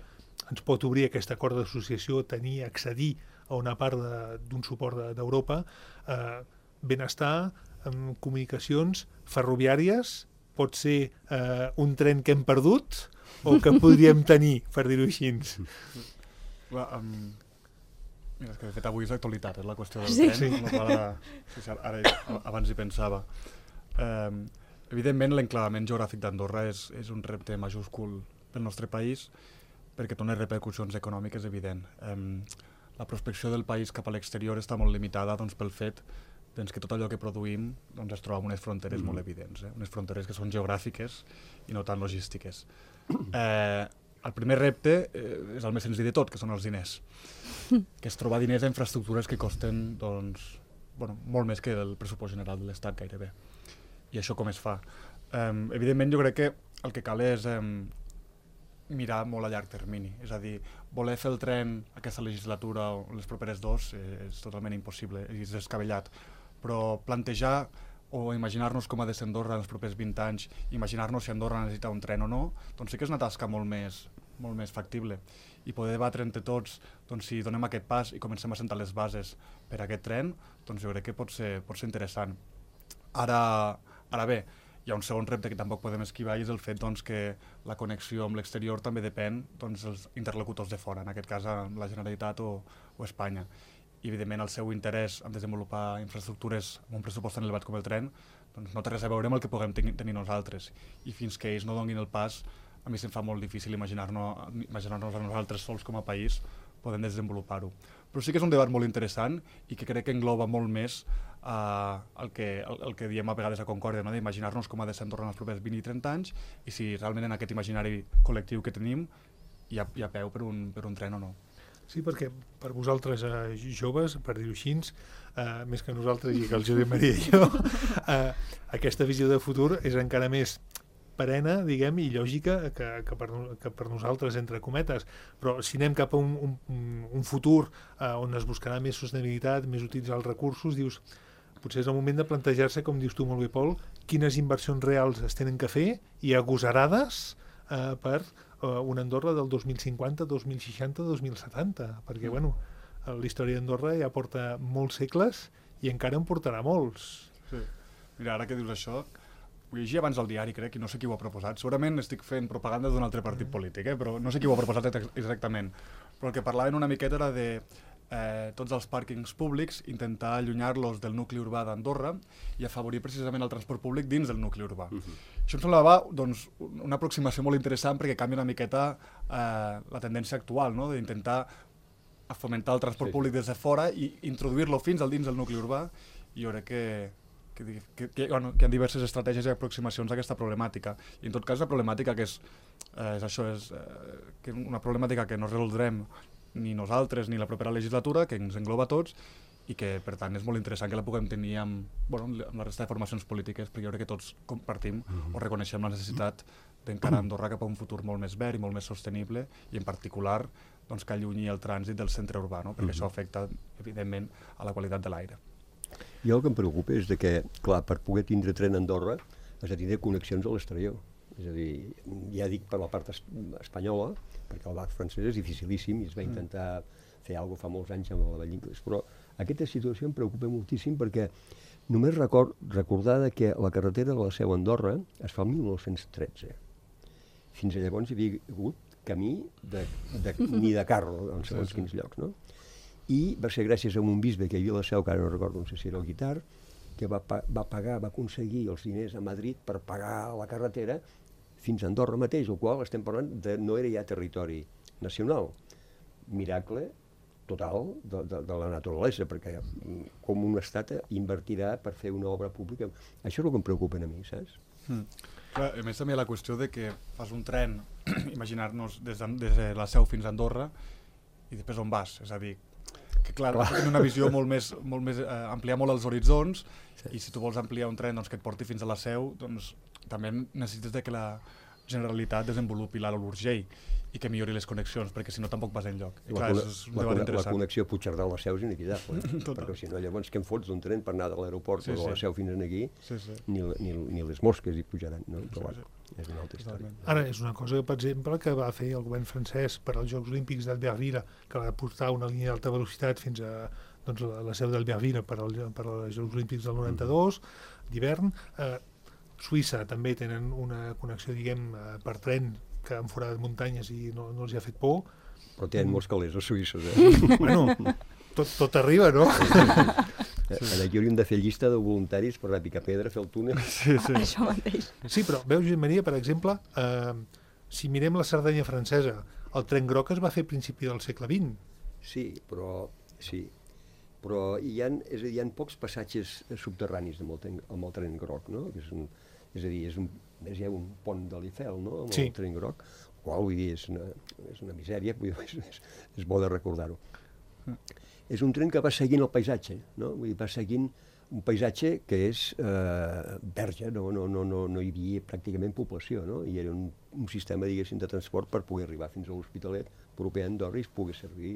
S2: ens pot obrir aquest acord d'associació, tenir, accedir a una part d'un suport d'Europa, eh, benestar, amb comunicacions ferroviàries, pot ser eh, un tren que hem perdut o que podríem tenir, per dir-ho així.
S4: Well, um, mira, és que de fet avui és l'actualitat, és la qüestió del
S3: sí.
S4: tren, sí. Ara, sí, ara abans hi pensava. Um, evidentment, l'enclavament geogràfic d'Andorra és, és un repte majúscul pel nostre país, perquè té unes repercussions econòmiques evident. Um, la prospecció del país cap a l'exterior està molt limitada doncs, pel fet doncs, que tot allò que produïm doncs, es troba en unes fronteres mm. molt evidents, eh? Unes fronteres que són geogràfiques i no tan logístiques. Eh, el primer repte eh, és el més senzill de tot, que són els diners. Que és trobar diners a infraestructures que costen, doncs, bueno, molt més que el pressupost general de l'Estat, gairebé. I això com es fa? Um, evidentment, jo crec que el que cal és um, mirar molt a llarg termini. És a dir, voler fer el tren aquesta legislatura o les properes dos eh, és totalment impossible, és descabellat. Però plantejar o imaginar-nos com ha de ser Andorra en els propers vint anys, imaginar-nos si Andorra necessita un tren o no, doncs sí que és una tasca molt més, molt més factible. I poder debatre entre tots, doncs si donem aquest pas i comencem a sentar les bases per a aquest tren, doncs jo crec que pot ser, pot ser interessant. Ara, ara bé, hi ha un segon repte que tampoc podem esquivar i és el fet doncs, que la connexió amb l'exterior també depèn doncs, dels interlocutors de fora, en aquest cas la Generalitat o, o Espanya. I evidentment el seu interès en desenvolupar infraestructures amb un pressupost tan elevat com el tren doncs, no té res a veure amb el que puguem ten tenir nosaltres. I fins que ells no donin el pas, a mi se'm fa molt difícil imaginar-nos imaginar-nos a nosaltres sols com a país podem desenvolupar-ho. Però sí que és un debat molt interessant i que crec que engloba molt més uh, el, que, el, el que diem a vegades a Concòrdia, no? D'imaginar-nos com ha de ser Andorra en els propers vint i trenta anys i si realment en aquest imaginari col·lectiu que tenim hi ha, hi ha peu per un, per un tren o no.
S2: Sí, perquè per vosaltres eh, joves, per dir-ho així, eh, més que nosaltres i que el Josep Maria i jo, eh, aquesta visió de futur és encara més perena, diguem, i lògica que, que, per, que per nosaltres, entre cometes. Però si anem cap a un, un, un futur eh, on es buscarà més sostenibilitat, més utilitzar els recursos, dius, potser és el moment de plantejar-se, com dius tu molt bé, Pol, quines inversions reals es tenen que fer i agosarades eh, per eh, una Andorra del dos mil cinquanta, dos mil seixanta, dos mil setanta, perquè, bueno, la història d'Andorra ja porta molts segles i encara en portarà molts.
S4: Sí. Mira, ara que dius això, ho llegia abans al diari, crec, i no sé qui ho ha proposat. Segurament estic fent propaganda d'un altre partit polític, eh? Però no sé qui ho ha proposat exactament. Però el que parlaven una miqueta era de eh, tots els pàrquings públics, intentar allunyar-los del nucli urbà d'Andorra i afavorir precisament el transport públic dins del nucli urbà. Uh-huh. Això em semblava doncs, una aproximació molt interessant perquè canvia una miqueta eh, la tendència actual, no? D'intentar fomentar el transport sí, públic des de fora i introduir-lo fins al dins del nucli urbà. I jo crec que Que, que, que, bueno, que hi ha diverses estratègies i aproximacions a aquesta problemàtica. I en tot cas la problemàtica que és, eh, és això, és eh, que una problemàtica que no resoldrem ni nosaltres ni la propera legislatura, que ens engloba a tots i que per tant és molt interessant que la puguem tenir amb, bueno, amb la resta de formacions polítiques, perquè jo crec que tots compartim mm-hmm. o reconeixem la necessitat d'encarar Andorra cap a un futur molt més verd i molt més sostenible i en particular doncs, que allunyi el trànsit del centre urbà, no? Perquè mm-hmm. això afecta evidentment a la qualitat de l'aire.
S5: I el que em preocupa és de que, clar, per poder tindre tren a Andorra has de tindre connexions a l'exterior. És a dir, ja dic per la part es espanyola, perquè el barc francès és dificilíssim i es va intentar fer alguna cosa fa molts anys amb la vall d'Inglés, però aquesta situació em preocupa moltíssim perquè només record, recordar que la carretera de la Seu a Andorra es fa el mil nou-cents tretze. Fins a llavors hi havia hagut camí de, de, ni de carro en segons quins llocs, no? I va ser gràcies a un bisbe que hi havia a la Seu, que ara no recordo, no sé si era el Guitar, que va, va pagar, va aconseguir els diners a Madrid per pagar la carretera fins a Andorra mateix, el qual estem parlant de no era ja territori nacional. Miracle total de, de, de la naturalesa, perquè com un estat invertirà per fer una obra pública. Això és el que em preocupa a mi, saps?
S4: Mm. Clar, a més també la qüestió de que fas un tren, imaginar-nos des, de, des de la Seu fins a Andorra i després on vas, és a dir, que clar, clar. Tenen una visió molt més, molt més eh, ampliar molt els horitzons sí. I si tu vols ampliar un tren doncs, que et porti fins a la Seu, doncs també necessites de que la Generalitat desenvolupi l'A L A l'Urgell i que millori les connexions, perquè si no tampoc vas enlloc. I clar,
S5: la,
S4: és un
S5: la,
S4: debat
S5: la,
S4: interessant.
S5: La connexió Puigcerdà-la-Seu és inevitable, perquè si no llavors què em fots d'un tren per anar de l'aeroport sí, o de la Seu fins aquí, sí, sí. Ni, ni, ni les mosques hi pujaran, no? Però, sí, sí. És una altra història.
S2: Ara, és una cosa, per exemple, que va fer el govern francès per als Jocs Olímpics d'Albertville, que va portar una línia d'alta velocitat fins a doncs, la, la Seu d'Albertville per, al, per als Jocs Olímpics del noranta-dos, d'hivern. Eh, Suïssa també tenen una connexió, diguem, eh, per tren que han forat muntanyes i no, no els hi ha fet por.
S5: Però tenen molts calés els suïssos, eh?
S2: Bueno, tot, tot arriba, no?
S5: Sí. Aquí hauríem de fer llista de voluntaris per anar a picar pedra, fer el túnel.
S2: Sí, sí.
S3: Això mateix.
S2: Sí, però veus, Josep Maria, per exemple, eh, si mirem la Cerdanya francesa, el tren groc es va fer a principi del segle vint.
S5: Sí, però, sí. però hi ha, és a dir, hi ha pocs passatges subterranis amb el tren, amb el tren groc, no? Que és, un, és a dir, és un, és ja un pont de l'Eiffel, no? Amb sí. El tren groc, qual, vull dir, és una, és una misèria, vull dir, és, és bo de recordar-ho. És un tren que va seguint el paisatge, no? Vull dir, va seguint un paisatge que és eh, verge, no, no, no, no, no hi havia pràcticament població, no? I era un, un sistema, diguéssim, de transport per poder arribar fins a l'Hospitalet proper a Andorra i es pogués servir.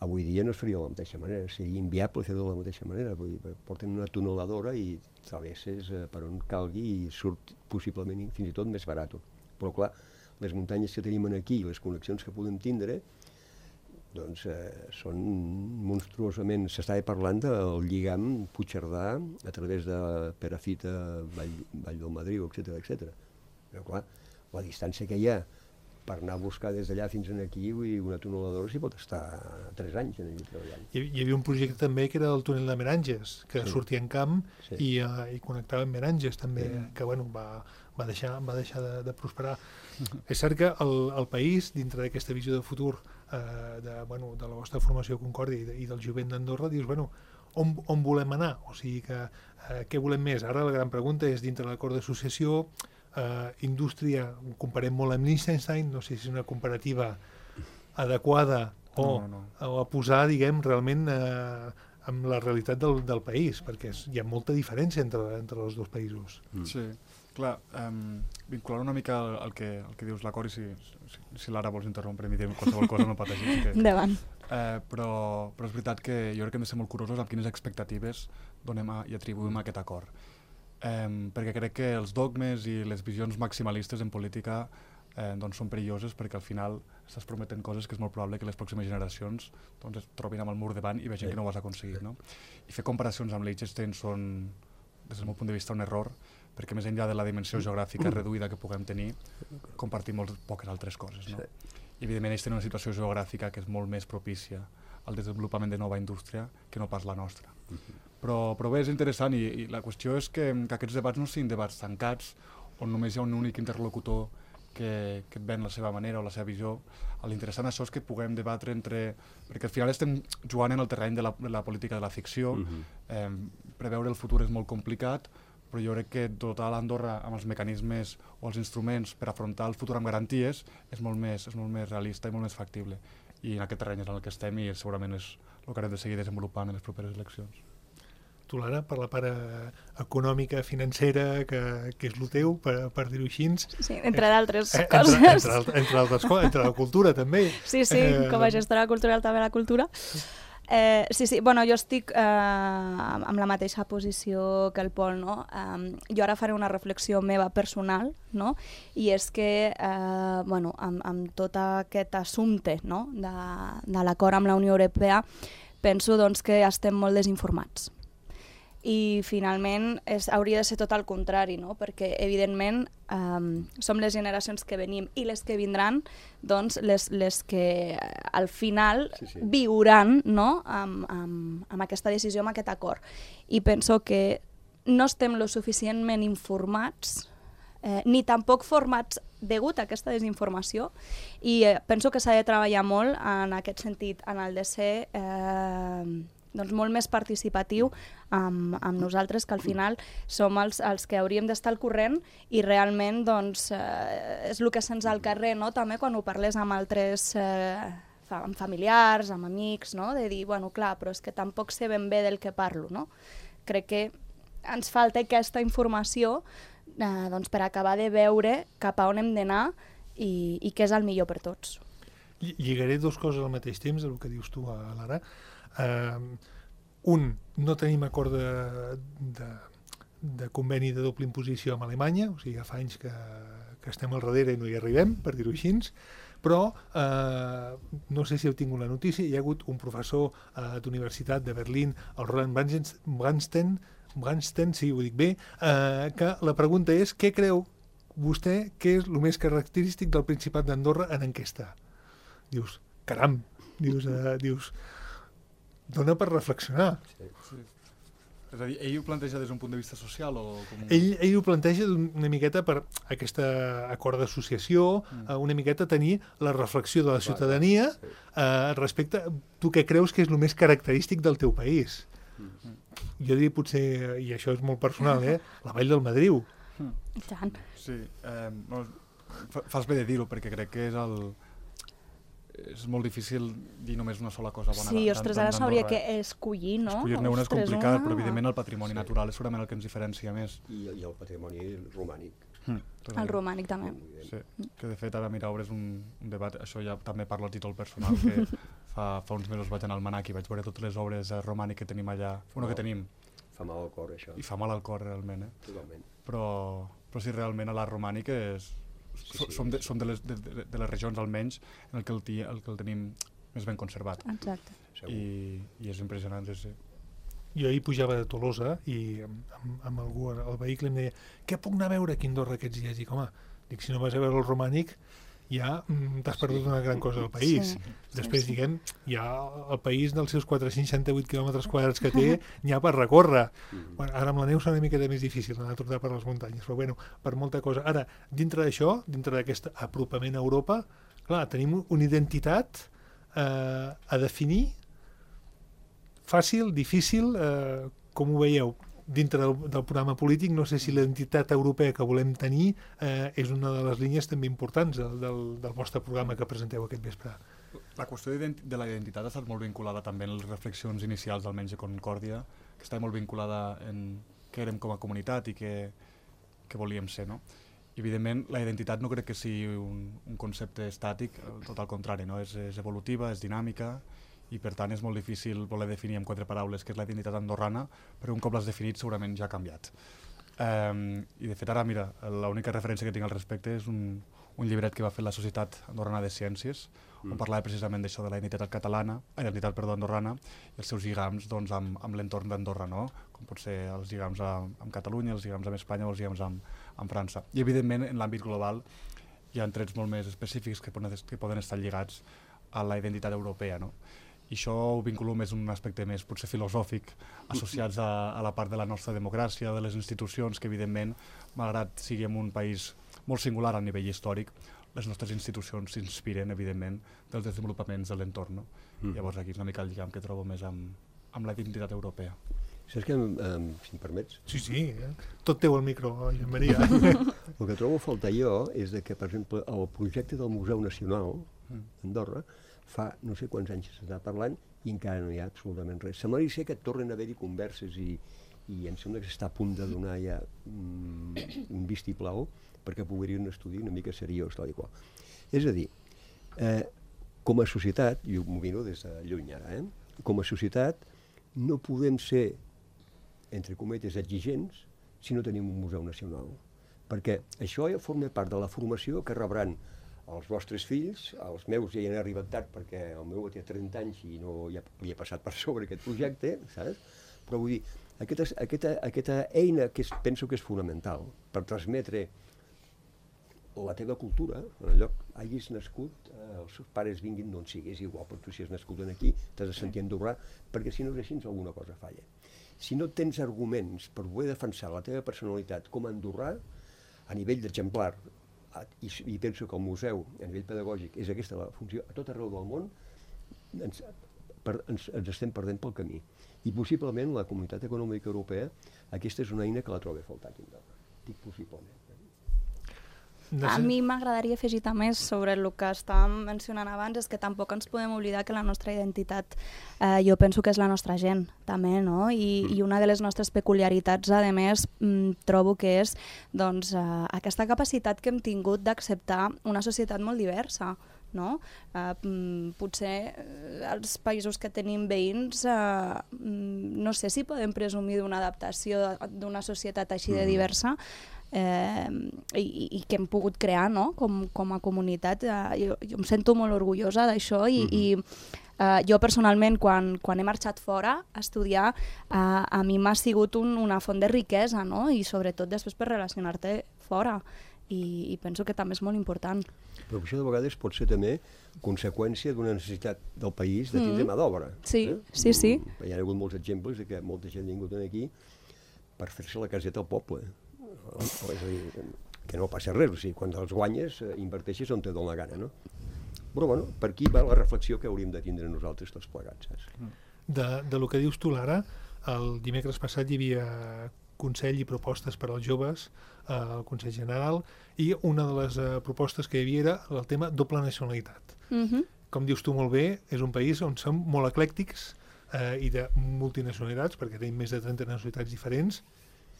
S5: Avui dia no es faria de la mateixa manera, seria inviable fer-ho de la mateixa manera. Vull dir, porten una tuneladora i travesses eh, per on calgui i surt possiblement fins i tot més barat. Però clar, les muntanyes que tenim aquí i les connexions que podem tindre doncs eh, són monstruosament... S'estava parlant del lligam Puigcerdà a través de Perafita, Vall, Vall del Madriu, etcètera, etcètera. Però clar, la distància que hi ha per anar a buscar des d'allà fins aquí, vull dir, una tuneladora s'hi pot estar tres anys en allà treballant.
S2: Hi, hi havia un projecte també que era el túnel de Meranges, que sí. sortia en camp sí. i, uh, i connectava amb Meranges també, sí. que bueno, va, va deixar, va deixar de, de prosperar. És cert que el, el país, dintre d'aquesta visió de futur eh, de, bueno, de la vostra formació Concòrdia i, de, i del jovent d'Andorra, dius, bueno, on, on volem anar? O sigui que, eh, què volem més? Ara la gran pregunta és, dintre l'acord d'associació, eh, indústria, ho comparem molt amb Liechtenstein, no sé si és una comparativa adequada o, no, no. o a posar, diguem, realment eh, amb la realitat del, del país, perquè és, hi ha molta diferència entre, entre els dos països.
S4: Mm. Sí. Clar, um, vincular una mica al, al, que, al que dius l'acord i si, si, si l'Ara vols interrompre i dir qualsevol cosa no pateixis. Que,
S3: Endavant.
S4: Eh, però, però és veritat que jo crec que hem de ser molt curosos amb quines expectatives donem a, i atribuïm a aquest acord. Um, perquè crec que els dogmes i les visions maximalistes en política eh, doncs són perilloses perquè al final estàs prometent coses que és molt probable que les pròximes generacions doncs, es trobin amb el mur davant i vegin sí. que no ho has aconseguit. No? I fer comparacions amb Liechtenstein són, des del meu punt de vista, un error, perquè més enllà de la dimensió geogràfica reduïda que puguem tenir, compartim molt poques altres coses. No? Sí. I evidentment ells tenen una situació geogràfica que és molt més propícia al desenvolupament de nova indústria que no pas la nostra. Uh-huh. Però, però bé, és interessant i, i la qüestió és que, que aquests debats no siguin debats tancats on només hi ha un únic interlocutor que, que et ven la seva manera o la seva visió. L'interessant això és que puguem debatre entre... Perquè al final estem jugant en el terreny de la, de la política de la ficció, uh-huh. eh, preveure el futur és molt complicat, però jo crec que dotar l'Andorra amb els mecanismes o els instruments per afrontar el futur amb garanties és molt més, és molt més realista i molt més factible. I en aquest terreny és en el que estem i segurament és el que hem de seguir desenvolupant en les properes eleccions.
S2: Tu, Lara, per la part econòmica, financera, que, que és el teu, per, per dir-ho així.
S3: Sí, entre d'altres
S2: eh,
S3: coses.
S2: Entre, entre, entre altres coses, entre la cultura, també.
S3: Sí, sí, eh, com a gestora cultural també la cultura. Eh, sí, sí, bueno, jo estic eh, amb la mateixa posició que el Pol, no? Um, jo ara faré una reflexió meva personal, no? I és que, eh, bueno, amb, amb tot aquest assumpte, no? de, de l'acord amb la Unió Europea, penso doncs, que estem molt desinformats. I finalment és, hauria de ser tot el contrari, no? Perquè evidentment um, som les generacions que venim i les que vindran, doncs les, les que al final sí, sí. viuran, no? amb, amb, amb aquesta decisió, amb aquest acord. I penso que no estem lo suficientment informats, eh, ni tampoc formats degut a aquesta desinformació, i eh, penso que s'ha de treballar molt en aquest sentit, en el de ser... Eh, doncs molt més participatiu amb, amb nosaltres, que al final som els, els que hauríem d'estar al corrent i realment doncs, eh, és el que se'ns al carrer, no? També quan ho parles amb altres eh, amb familiars, amb amics, no? De dir, bueno, clar, però és que tampoc sé ben bé del que parlo, no? Crec que ens falta aquesta informació eh, doncs per acabar de veure cap a on hem d'anar i, i què és el millor per tots.
S2: Lligaré dues coses al mateix temps, el que dius tu, Lara. Uh, un, no tenim acord de, de, de conveni de doble imposició amb Alemanya, o sigui, fa anys que, que estem al darrere i no hi arribem, per dir-ho així, però uh, no sé si heu tingut la notícia, hi ha hagut un professor uh, d'universitat de Berlín, el Roland Brandstein, Brandstein, sí, ho dic bé, uh, que la pregunta és, què creu vostè que és el més característic del Principat d'Andorra en enquesta? Dius, caram, dius... Uh, dius dona per reflexionar.
S4: Sí. Sí. És a dir, ell ho planteja des d'un punt de vista social o com...
S2: Ell, ell ho planteja una miqueta per aquest acord d'associació, mm. una miqueta tenir la reflexió de la ciutadania sí. eh, respecte a tu què creus que és el més característic del teu país. Mm. Jo diria potser, i això és molt personal, eh, la Vall del Madriu.
S3: Mm.
S4: Sí, eh, no, Fas bé de dir-ho, perquè crec que és el... és molt difícil dir només una sola cosa bona.
S3: Sí, ostres, ara s'hauria que escollir, no?
S4: Escollir-ne una és complicat, però evidentment el patrimoni
S5: Sí.
S4: natural és segurament el que ens diferencia més.
S5: I, i el patrimoni romànic.
S4: Mm,
S3: El romànic també.
S4: Sí, que de fet ara, mira, obres un, un debat, això ja també parlo a títol personal, que fa, fa uns mesos vaig anar al Manac i vaig veure totes les obres eh, romàniques que tenim allà, bueno, que tenim.
S5: Fa mal al cor, això.
S4: I fa mal al cor, realment, eh?
S5: Totalment.
S4: Però, però sí, realment a l'art romànic és...
S5: Sí,
S4: so,
S5: sí,
S4: som de,
S5: sí.
S4: som de, les, de, de, de les regions, almenys, en el que el, ti, el que el tenim més ben conservat.
S3: Exacte.
S4: I, i és impressionant, sí.
S2: Jo ahir pujava de Tolosa i amb, amb, amb algú al vehicle em deia què puc anar a veure aquí a Andorra aquests dies? Dic, home, dic, si no vas a veure el romànic ja mm, t'has perdut sí. una gran cosa del país.
S3: Sí.
S2: Després,
S3: sí, sí.
S2: diguem, ja el país dels seus quatre-cents seixanta-vuit quilòmetres quadrats que té n'hi ha per recórrer. Mm. Bueno, ara amb la neu serà una miqueta més difícil anar a tornar per les muntanyes, però bueno, per molta cosa. Ara, dintre d'això, dintre d'aquest apropament a Europa, clar, tenim una identitat eh, a definir fàcil, difícil, eh, com ho veieu? Dintre del, del programa polític, no sé si l'identitat europea que volem tenir eh, és una de les línies també importants del, del, del vostre programa que presenteu aquest vespre.
S4: La qüestió de la identitat ha estat molt vinculada també en les reflexions inicials, almenys de Concòrdia, que està molt vinculada en què érem com a comunitat i què, què volíem ser, no? I, evidentment, la identitat no crec que sigui un, un concepte estàtic, tot al contrari, no? És, és evolutiva, és dinàmica, i per tant és molt difícil voler definir en quatre paraules què és la identitat andorrana, però un cop l'has definit segurament ja ha canviat. Um, I de fet ara, mira, l'única referència que tinc al respecte és un, un llibret que va fer la Societat Andorrana de Ciències, mm. on parlava precisament d'això de la identitat catalana, identitat, perdó, andorrana, i els seus lligams doncs, amb, amb l'entorn d'Andorra, no? Com pot ser els lligams amb, amb Catalunya, els lligams amb Espanya o els lligams amb, amb França. I evidentment en l'àmbit global hi ha trets molt més específics que poden, que poden estar lligats a la identitat europea, no? I això ho vinculo més en un aspecte més potser filosòfic, associats a, a la part de la nostra democràcia, de les institucions, que evidentment, malgrat siguem un país molt singular a nivell històric, les nostres institucions s'inspiren, evidentment, dels desenvolupaments de l'entorn. No? Mm. Llavors aquí és una mica el lligam que trobo més amb, amb la identitat europea.
S5: Saps que, um, si em permets?
S2: Sí, sí, eh? Tot teu el micro, Joan Maria.
S5: El que trobo a faltar jo és de que, per exemple, el projecte del Museu Nacional d'Andorra fa no sé quants anys s'està parlant i encara no hi ha absolutament res. Semblaria ser que tornen a haver-hi converses i, i em sembla que s'està a punt de donar ja mm, un vistiplau perquè pugui un estudi una mica seriós, tal i qual. És a dir, eh, com a societat, i m'ho miro des de lluny ara, eh, com a societat no podem ser, entre cometes, exigents si no tenim un museu nacional. Perquè això ja forma part de la formació que rebran els vostres fills, els meus ja hi han arribat tard perquè el meu té trenta anys i no ja havia passat per sobre aquest projecte, saps? Però vull dir, aquesta, aquesta, aquesta eina que és, penso que és fonamental per transmetre la teva cultura, en el lloc hagis nascut, eh, els seus pares vinguin d'on siguis, igual, però tu si has nascut aquí t'has de sentir andorrà, perquè si no és així alguna cosa falla. Si no tens arguments per poder defensar la teva personalitat com a andorrà, a nivell d'exemplar, I, i penso que el museu, a nivell pedagògic, és aquesta la funció, a tot arreu del món ens, per, ens, ens estem perdent pel camí. I possiblement la Comunitat Econòmica Europea, aquesta és una eina que la trobo a faltar aquí. Dic possiblement.
S3: A mi m'agradaria afegir també sobre el que estàvem mencionant abans, és que tampoc ens podem oblidar que la nostra identitat, eh, jo penso que és la nostra gent, també, no? I, mm. i una de les nostres peculiaritats, a més, mm, trobo que és doncs, eh, aquesta capacitat que hem tingut d'acceptar una societat molt diversa, no? Eh, potser eh, els països que tenim veïns, eh, no sé si podem presumir d'una adaptació d'una societat així de diversa, Eh, i, i que hem pogut crear, no? com, com a comunitat. Eh, jo, jo em sento molt orgullosa d'això i, uh-huh. i eh, jo personalment quan, quan he marxat fora a estudiar eh, a mi m'ha sigut un, una font de riquesa, no? I sobretot després per relacionar-te fora i, i penso que també és molt important.
S5: Però això de vegades pot ser també conseqüència d'una necessitat del país de tindre mm. mà d'obra.
S3: Sí,
S5: eh?
S3: sí, sí.
S5: Hi ha hagut molts exemples de que molta gent ha vingut aquí per fer-se la caseta al poble. És a dir, que no passa res, o sigui, quan els guanyes eh, inverteixes on te dona la gana, no? Però bueno, per aquí va la reflexió que hauríem de tindre nosaltres tots plegats, saps?
S2: De, de lo que dius tu, Lara, el dimecres passat hi havia Consell i propostes per als joves eh, al Consell General, i una de les eh, propostes que hi havia era el tema doble nacionalitat.
S3: Mhm.
S2: Com dius tu molt bé, és un país on som molt eclèctics eh, i de multinacionalitats, perquè tenim més de trenta nacionalitats diferents,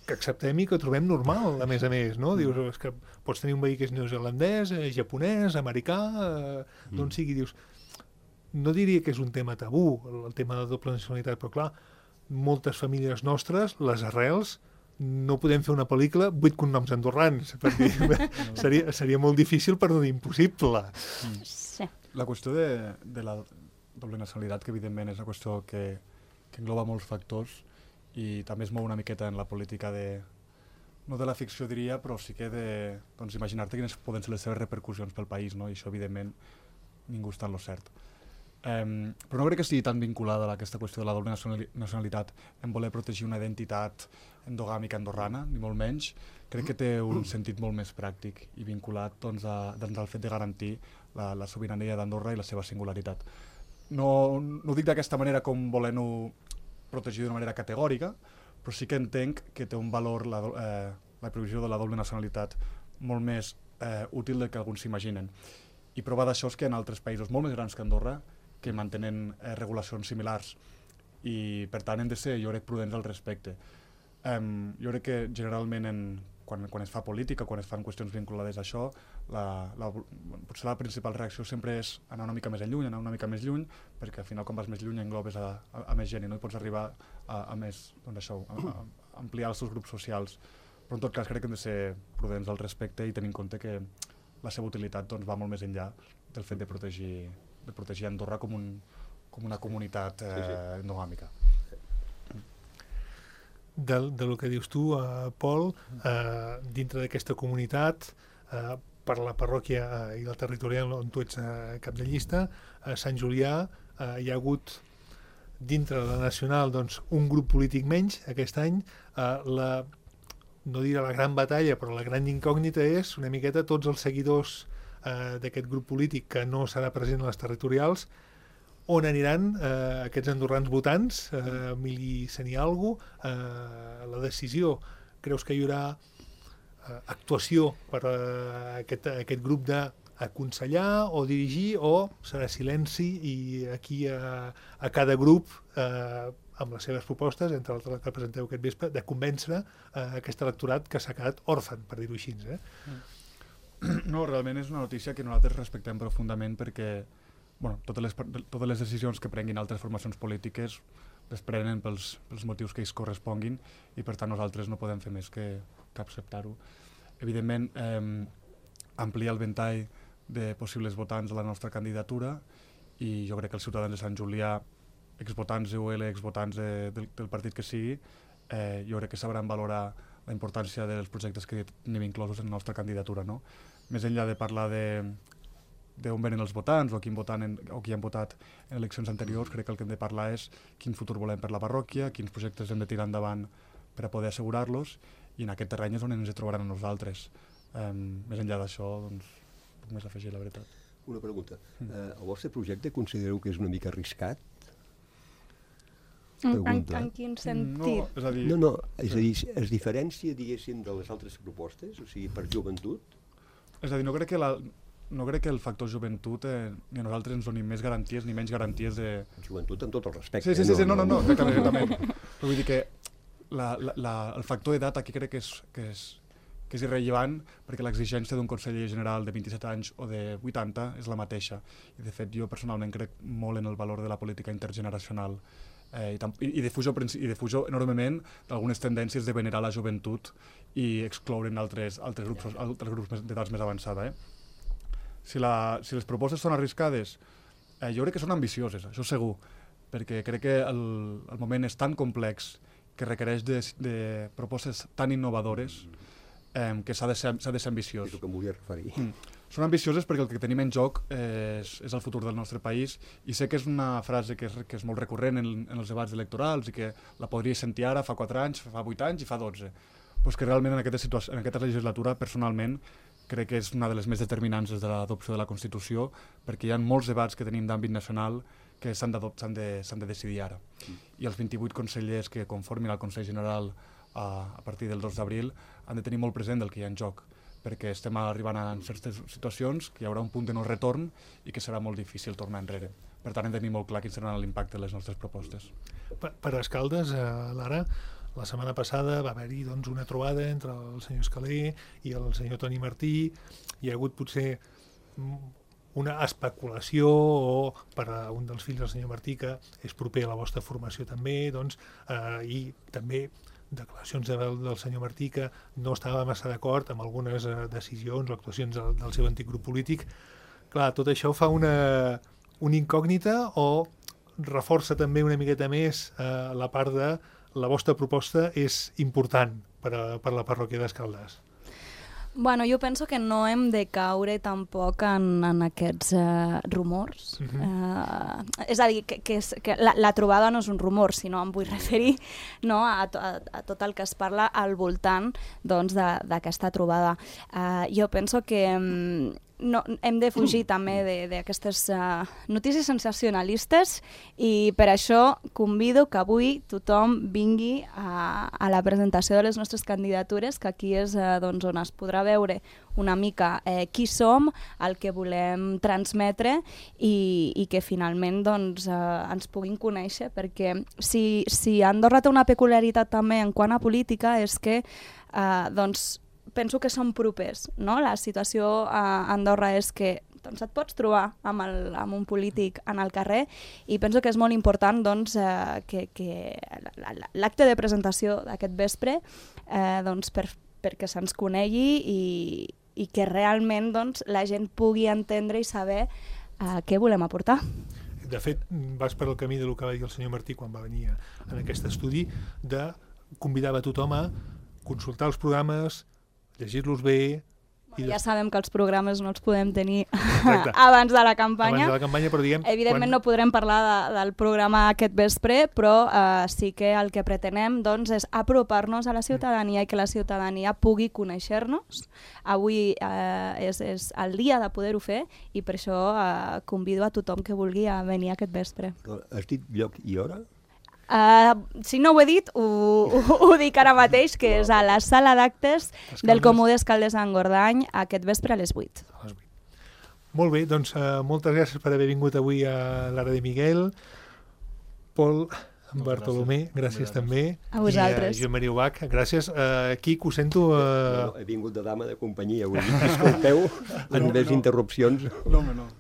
S2: que acceptem i que trobem normal, a més a més, no? Dius, és que pots tenir un veí que és neozelandès, eh, japonès, americà, eh, d'on sigui, dius... No diria que és un tema tabú, el tema de la doble nacionalitat, però clar, moltes famílies nostres, les arrels, no podem fer una pel·lícula vuit cognoms andorrans, perquè seria, seria molt difícil, per no dir impossible.
S3: Sí.
S4: La qüestió de, de la doble nacionalitat, que evidentment és una qüestió que, que engloba molts factors i també es mou una miqueta en la política de, no de la ficció diria, però sí que de doncs, imaginar-te quines poden ser les seves repercussions pel país, no? I això evidentment ningú està en lo cert. Um, però no crec que estigui tan vinculada a aquesta qüestió de la doble nacionalitat en voler protegir una identitat endogàmica andorrana, ni molt menys. Crec que té un sentit molt més pràctic i vinculat doncs, a, doncs, al fet de garantir la, la sobirania d'Andorra i la seva singularitat. No, no ho dic d'aquesta manera com volent-ho protegir d'una manera categòrica, però sí que entenc que té un valor la, eh, la provisió de la doble nacionalitat molt més eh, útil del que alguns s'imaginen. I prova d'això és que en altres països molt més grans que Andorra que mantenen eh, regulacions similars i per tant hem de ser, jo crec, prudents al respecte. Um, jo crec que generalment en, quan, quan es fa política, quan es fan qüestions vinculades a això, la, la, potser la principal reacció sempre és anar una mica més lluny, anar una mica més lluny, perquè al final quan vas més lluny englobes a, a, a més gent i no hi pots arribar a, a més, doncs això, a, a ampliar els teus grups socials. Però en tot cas crec que hem de ser prudents al respecte i tenir en compte que la seva utilitat doncs, va molt més enllà del fet de protegir de protegir Andorra com, un, com una comunitat eh, sí, sí. endogàmica.
S2: De, de lo que dius tu, eh, Pol, eh, dintre d'aquesta comunitat, eh, per la parròquia eh, i la territorial on tu ets eh, cap de llista, a Sant Julià eh, hi ha hagut, dintre de la nacional, doncs, un grup polític menys aquest any. Eh, la, no diré la gran batalla, però la gran incògnita és una miqueta tots els seguidors Uh, d'aquest grup polític que no serà present a les territorials, on aniran uh, aquests andorrans votants, uh, Emili Senialgo, uh, la decisió, creus que hi haurà uh, actuació per uh, aquest, aquest grup d'aconsellar o dirigir, o serà silenci i aquí uh, a cada grup uh, amb les seves propostes, entre altres que presenteu aquest vespre, de convèncer uh, aquest electorat que s'ha quedat òrfan, per dir-ho així, eh? Mm.
S4: No, realment és una notícia que nosaltres respectem profundament perquè bueno, totes, les, totes les decisions que prenguin altres formacions polítiques les prenen pels, pels motius que ells corresponguin i per tant nosaltres no podem fer més que, que acceptar-ho. Evidentment, eh, ampliar el ventall de possibles votants a la nostra candidatura i jo crec que els ciutadans de Sant Julià, exvotants U L, exvotants de, del, del partit que sigui, eh, jo crec que sabran valorar la importància dels projectes que tenim inclosos en la nostra candidatura. No? Més enllà de parlar d'on venen els votants o qui, en, o qui han votat en eleccions anteriors, crec que el que hem de parlar és quin futur volem per la parròquia, quins projectes hem de tirar endavant per a poder assegurar-los, i en aquest terreny és on ens trobaran a nosaltres. Um, més enllà d'això, doncs, puc més afegir, la veritat.
S5: Una pregunta. Mm. Uh, el vostre projecte considereu que és una mica arriscat?
S3: En, en, en quin sentit?
S4: No, és a dir...
S5: No, no, és a dir, es diferència, diguéssim, de les altres propostes, o sigui, per joventut?
S4: És a dir, no crec que, la, no crec que el factor joventut eh, ni a nosaltres ens doni més garanties ni menys garanties de...
S5: Joventut amb tot el respecte.
S4: Sí, sí, sí, sí no, no, no, exactament, exactament. Però vull dir que la, la, la, el factor d'edat aquí crec que és, que és, que és irrellevant perquè l'exigència d'un conseller general de vint-i-set anys o de vuitanta és la mateixa. I de fet jo personalment crec molt en el valor de la política intergeneracional. Eh, i, i, defujo, i defujo enormement d'algunes tendències de venerar la joventut i excloure'n altres, altres grups, altres grups d'edats més avançada. Eh? Si, la, si les propostes són arriscades, eh, jo crec que són ambicioses, això segur, perquè crec que el, el moment és tan complex que requereix de, de propostes tan innovadores eh, que s'ha de, de ser ambiciós.
S5: És el que em volia referir.
S4: Mm. Són ambicioses perquè el que tenim en joc és, és el futur del nostre país i sé que és una frase que és, que és molt recurrent en, en els debats electorals i que la podria sentir ara fa quatre anys, fa vuit anys i fa dotze. Però és que realment en aquesta, situació, en aquesta legislatura, personalment, crec que és una de les més determinants des de l'adopció de la Constitució perquè hi ha molts debats que tenim d'àmbit nacional que s'han de, de, de decidir ara. Mm. I els vint-i-vuit consellers que conformin el Consell General a, a partir del dos d'abril, han de tenir molt present el que hi ha en joc, perquè estem arribant a certes situacions que hi haurà un punt de no retorn i que serà molt difícil tornar enrere. Per tant, hem de tenir molt clar quin serà l'impacte de les nostres propostes.
S2: Per, per Escaldes, eh, Lara, la setmana passada va haver-hi doncs, una trobada entre el senyor Escaler i el senyor Toni Martí. Hi ha hagut potser una especulació o per a un dels fills del senyor Martí, que és proper a la vostra formació també, doncs, eh, i també declaracions del, del senyor Martí que no estava massa d'acord amb algunes eh, decisions o actuacions del, del seu antic grup polític. Clar, tot això fa una, una incògnita o reforça també una miqueta més eh, la part de la vostra proposta és important per, a, per la parròquia d'Escaldes.
S3: Bueno, jo penso que no hem de caure tampoc en, en aquests uh, rumors. Uh-huh. uh, és a dir, que, que, és, que la, la trobada no és un rumor, sinó em vull referir, no, a, to, a, a tot el que es parla al voltant doncs, d'aquesta trobada. Uh, jo penso que um, no, hem de fugir també d'aquestes uh, notícies sensacionalistes i per això convido que avui tothom vingui a, a la presentació de les nostres candidatures, que aquí és uh, doncs, on es podrà veure una mica eh, qui som, el que volem transmetre i, i que finalment doncs, eh, ens puguin conèixer, perquè si, si Andorra té una peculiaritat també en quant a política és que eh, doncs, penso que som propers, no? La situació a Andorra és que doncs, et pots trobar amb, el, amb un polític en el carrer i penso que és molt important doncs, eh, que, que l'acte de presentació d'aquest vespre eh, doncs, per, perquè se'ns conegui i, i que realment doncs, la gent pugui entendre i saber eh, què volem aportar.
S2: De fet, vas per el camí del que va dir el senyor Martí quan va venir en aquest estudi, de convidar a tothom a consultar els programes, llegir-los bé... I
S3: ja sabem que els programes no els podem tenir abans de la campanya.
S2: Abans de la campanya, però diguem...
S3: Evidentment quan... no podrem parlar de, del programa aquest vespre, però eh, sí que el que pretenem doncs, és apropar-nos a la ciutadania i que la ciutadania pugui conèixer-nos. Avui eh, és, és el dia de poder-ho fer i per això eh, convido a tothom que vulgui a venir aquest vespre.
S5: Has dit lloc i hora?
S3: Uh, si no ho he dit, ho, ho, ho dic ara mateix, que és a la sala d'actes del Comú d'Escaldes d'Engordany aquest vespre a les vuit.
S2: A les vuit. Molt bé, doncs uh, moltes gràcies per haver vingut avui a l'Ara de Miguel. Pol, Bartolomé, gràcies, gràcies també.
S3: A vosaltres.
S2: I a Joan Maria Ubach, gràcies. Uh, Quico, ho sento... Uh...
S5: No, no, he vingut de dama de companyia avui. Disculpeu, en més no. interrupcions.
S4: No, no, no. no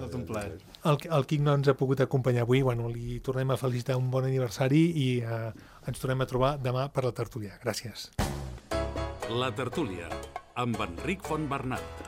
S4: és un plaer.
S2: El, el Quic no ens ha pogut acompanyar avui, bueno, li tornem a felicitar un bon aniversari i eh, ens tornem a trobar demà per la tertúlia. Gràcies.
S1: La tertúlia, amb Enric Fontbernat.